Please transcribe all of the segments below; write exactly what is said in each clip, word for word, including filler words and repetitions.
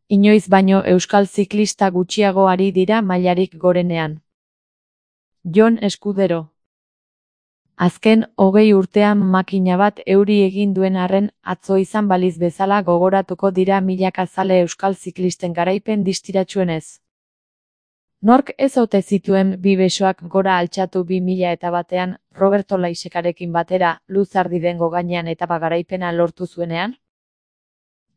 Inoiz baino euskal ziklista gutxiago ari dira mailarik gorenean. Jon Eskudero. Azken hogei urtean makina bat euri egin duen arren, atzo izan baliz bezala gogoratuko dira milaka zale euskal ziklisten garaipen distiratsuenez. Nork ez ote zituen bi besoak gora altxatu bi mila eta batean, Roberto Laisekarekin batera, Luzardidengo gainean etapa garaipena lortu zuenean?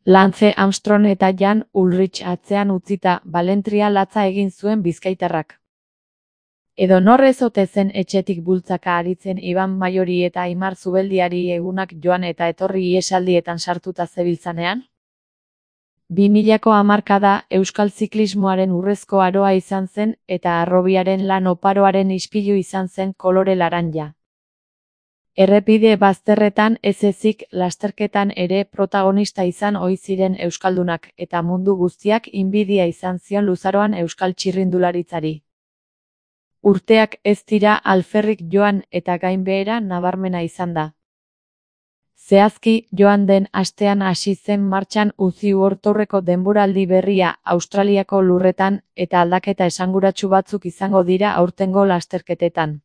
Lance Armstrong eta Jan Ullrich atzean utzita, balentria latza egin zuen bizkaitarrak. Edo nor ez ote zen etxetik bultzaka aritzen Iban Maiori eta Aimar Zubeldiari egunak joan eta etorri ihesaldietan sartuta zebiltzanean? bi milako hamarkada euskal ziklismoaren urrezko aroa izan zen eta harrobiaren lan oparoaren ispilu izan zen kolore laranja. Errepide bazterretan ez ezik lasterketan ere protagonista izan ohi ziren euskaldunak eta mundu guztiak inbidia izan zion luzaroan euskal txirrindularitzari. Urteak ez dira alferrik joan eta gainbehera nabarmena izan da. Zehazki, joan den astean hasi zen martxan Uzi World-Tourreko denboraldi berria Australiako lurretan eta aldaketa esanguratsu batzuk izango dira aurtengo lasterketetan.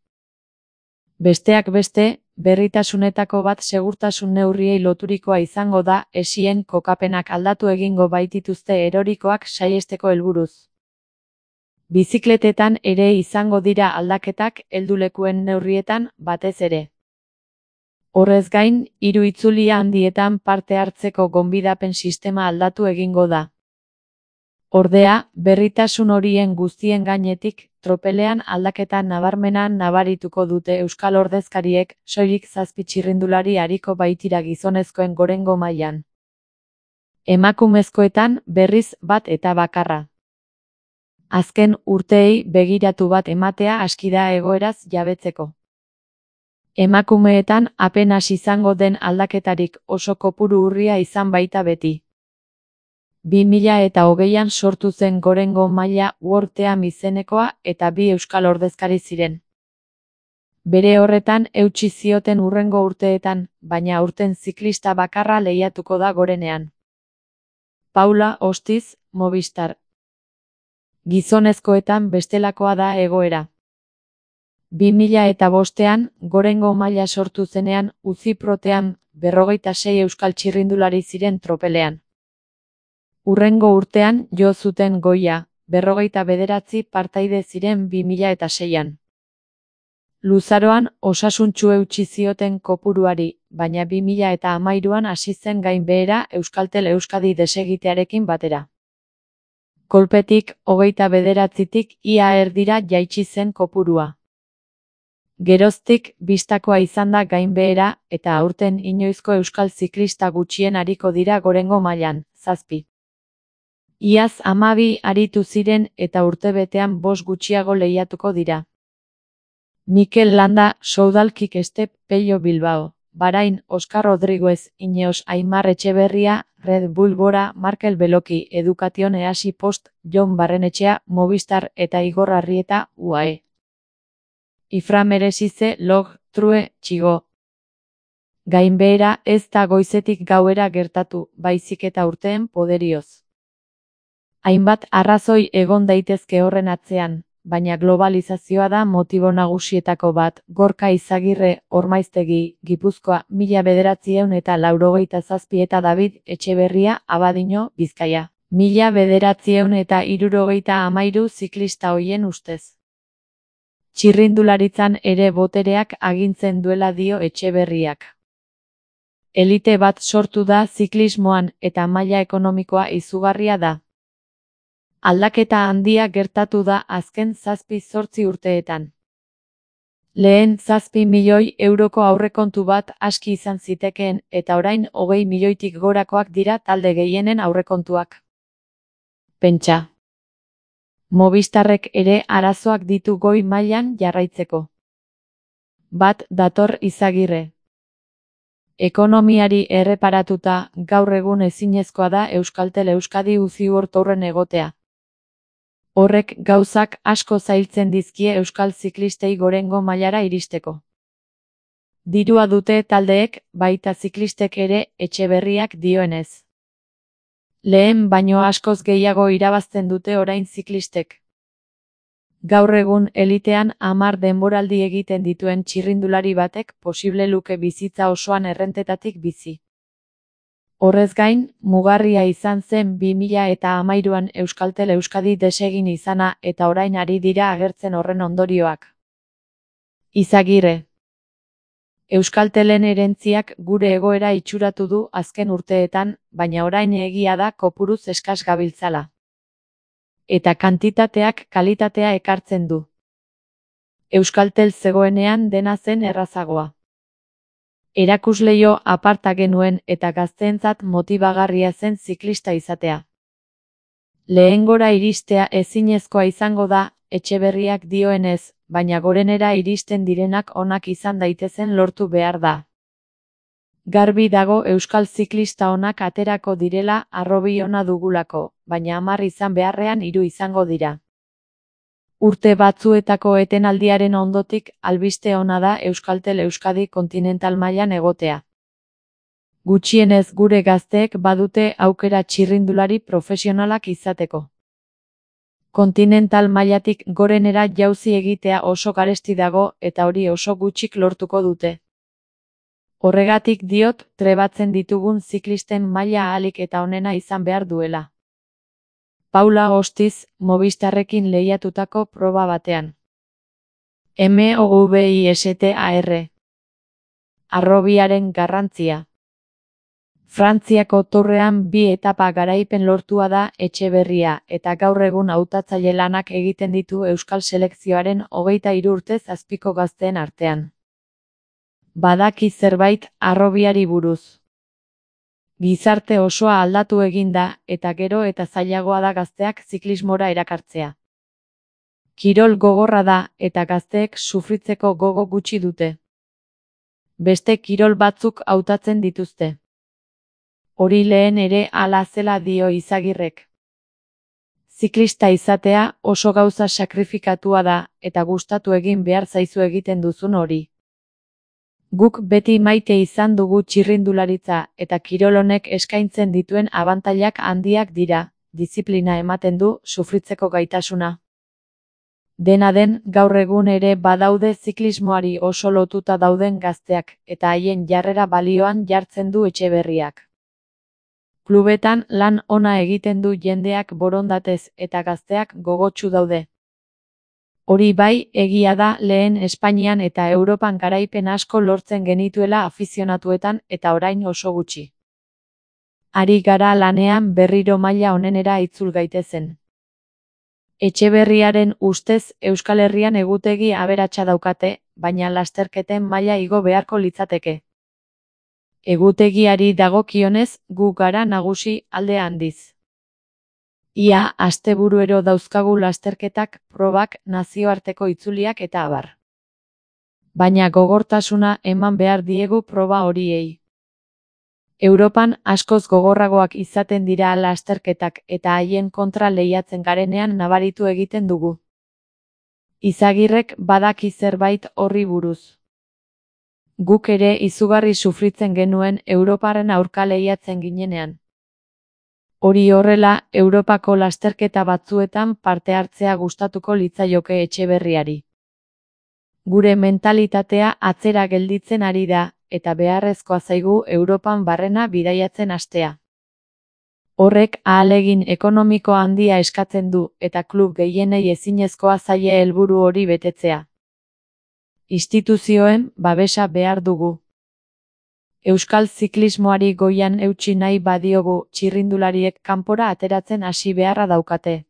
Besteak beste, berritasunetako bat segurtasun neurriei loturikoa izango da, esien kokapenak aldatu egingo baitituzte erorikoak saihesteko helburuz. Bizikletetan ere izango dira aldaketak heldulekuen neurrietan batez ere. Horrez gain, hiru itzulia handietan parte hartzeko gonbidapen sistema aldatu egingo da. Ordea, berritasun horien guztien gainetik, tropelean aldaketa nabarmena nabarituko dute euskal ordezkariek, soilik zazpi txirrindulari ariko baitira gizonezkoen gorengo mailan. Emakumezkoetan, berriz bat eta bakarra. Azken urteei begiratu bat ematea aski da egoeraz jabetzeko. Emakumeetan apenas izango den aldaketarik oso kopuru urria izan baita beti. bi mila eta hogeian sortu zen gorengo maila World Team izenekoa eta bi euskal ordezkari ziren. Bere horretan eutsi zioten hurrengo urteetan, baina aurten ziklista bakarra lehiatuko da gorenean. Paula Ostiz, Movistar. Gizonezkoetan bestelakoa da egoera. bi mila eta bostean, gorengo maila sortu zenean, Uzi Protean, berrogeita sei euskal txirrindulari ziren tropelean. Hurrengo urtean, jo zuten goia, berrogeita bederatzi partaide ziren bi mila eta seian. Luzaroan, osasuntsu eutsi zioten kopuruari, baina bi mila eta hamairuan hasi zen gainbehera Euskaltel Euskadi desegitearekin batera. Kolpetik, hogeita bederatzitik ia erdira jaitsi zen kopurua. Geroztik, bistakoa izan da gainbehera, eta aurten inoizko euskal ziklista gutxien ariko dira gorengo mailan, zazpi. Iaz hamabi aritu ziren eta urtebetean bost gutxiago lehiatuko dira. Mikel Landa, Soudal Quick-Step, Pello Bilbao, Bahrain, Oskar Rodriguez, Ineos Aimar Etxeberria, Red Bull Bora, Markel Beloki, Education Easi Post, Jon Barrenetxea, Movistar eta Igor Arrieta, U A E. Ifra Meresize, Log, True, Txigo. Gainbehera ez da goizetik gauera gertatu, baizik eta urteen poderioz. Hainbat arrazoi egon daitezke horren atzean, baina globalizazioa da motibo nagusietako bat. Gorka Izagirre, Ormaiztegi, Gipuzkoa, mila bederatziehun eta laurogeita zazpi eta David Etxeberria, Abadiño, Bizkaia. Mila bederatziehun eta hirurogeita hamairu ziklista hoien ustez. Txirrindularitzan ere botereak agintzen duela dio Etxeberriak. Elite bat sortu da ziklismoan eta maila ekonomikoa izugarria da. Aldaketa handia gertatu da azken zazpi zortzi urteetan. Lehen zazpi milioi euroko aurrekontu bat aski izan zitekeen eta orain hogei milioitik gorakoak dira talde gehienen aurrekontuak. Pentsa. Movistarrek ere arazoak ditu goi mailan jarraitzeko. Bat dator Izagirre. Ekonomiari erreparatuta, gaur egun ezinezkoa da Euskaltel Euskadi Uzi World-Tourren egotea. Horrek gauzak asko zailtzen dizkie euskal ziklistei gorengo mailara iristeko. Dirua dute taldeek, baita ziklistek ere, Etxeberriak dioenez. Lehen baino askoz gehiago irabazten dute orain ziklistek. Gaur egun elitean hamar denboraldi egiten dituen txirrindulari batek posible luke bizitza osoan errentetatik bizi. Horrez gain, mugarria izan zen bi mila eta hamairuan Euskaltel Euskadi desegin izana eta orain ari dira agertzen horren ondorioak. Izagirre. Euskaltelen erentziak gure egoera itxuratu du azken urteetan, baina orain egia da kopuruz eskas gabiltzala. Eta kantitateak kalitatea ekartzen du. Euskaltel zegoenean dena zen errazagoa. Erakusleio aparta genuen eta gazteentzat motibagarria zen ziklista izatea. Lehengora iristea ezinezkoa izango da, Etxeberriak dioenez, baina gorenera iristen direnak onak izan daitezen lortu behar da. Garbi dago euskal ziklista onak aterako direla harrobi ona dugulako, baina hamar izan beharrean hiru izango dira. Urte batzuetako etenaldiaren ondotik albiste ona da Euskaltel Euskadi kontinental mailan egotea. Gutxienez gure gazteek badute aukera txirrindulari profesionalak izateko. Kontinental mailatik gorenera jauzi egitea oso garesti dago eta hori oso gutxik lortuko dute. Horregatik diot trebatzen ditugun ziklisten maila ahalik eta onena izan behar duela. Paula Ostiz, Movistarrekin lehiatutako proba batean. Movistar. Harrobiaren garrantzia. Frantziako Tourrean bi etapa garaipen lortua da Etxeberria eta gaur egun hautatzaile lanak egiten ditu euskal selekzioaren hogeita hiru urtez azpiko gazteen artean. Badaki zerbait harrobiari buruz. Gizarte osoa aldatu egin da eta gero eta zailagoa da gazteak ziklismora erakartzea. Kirol gogorra da eta gazteek sufritzeko gogo gutxi dute. Beste kirol batzuk hautatzen dituzte. Hori lehen ere hala zela dio Izagirrek. Ziklista izatea oso gauza sakrifikatua da eta gustatu egin behar zaizu egiten duzun hori. Guk beti maite izan dugu txirrindularitza eta kirol honek eskaintzen dituen abantailak handiak dira, diziplina ematen du, sufritzeko gaitasuna. Dena den, gaur egun ere badaude ziklismoari oso lotuta dauden gazteak eta haien jarrera balioan jartzen du Etxeberriak. Klubetan lan ona egiten du jendeak borondatez eta gazteak gogotsu daude. Hori bai, egia da lehen Espainian eta Europan garaipen asko lortzen genituela afizionatuetan eta orain oso gutxi. Ari gara lanean berriro maila onenera itzul gaitezen. Etxeberriaren ustez Euskal Herrian egutegi aberatsa daukate, baina lasterketen maila igo beharko litzateke. Egutegiari dagokionez, gu gara nagusi alde handiz. Ia asteburuero dauzkagu lasterketak, probak, nazioarteko itzuliak eta abar. Baina gogortasuna eman behar diegu proba horiei. Europan askoz gogorragoak izaten dira lasterketak eta haien kontra lehiatzen garenean nabaritu egiten dugu. Izagirrek badaki zerbait horri buruz. Guk ere izugarri sufritzen genuen Europaren aurka lehiatzen ginenean. Hori horrela, Europako lasterketa batzuetan parte hartzea gustatuko litzaioke Etxeberriari. Gure mentalitatea atzera gelditzen ari da, eta beharrezkoa zaigu Europan barrena bidaiatzen hastea. Horrek ahalegin ekonomiko handia eskatzen du, eta klub gehienei ezinezkoa zaie helburu hori betetzea. Instituzioen babesa behar dugu. Euskal ziklismoari goian eutsi nahi badiogu, txirrindulariek kanpora ateratzen hasi beharra daukate.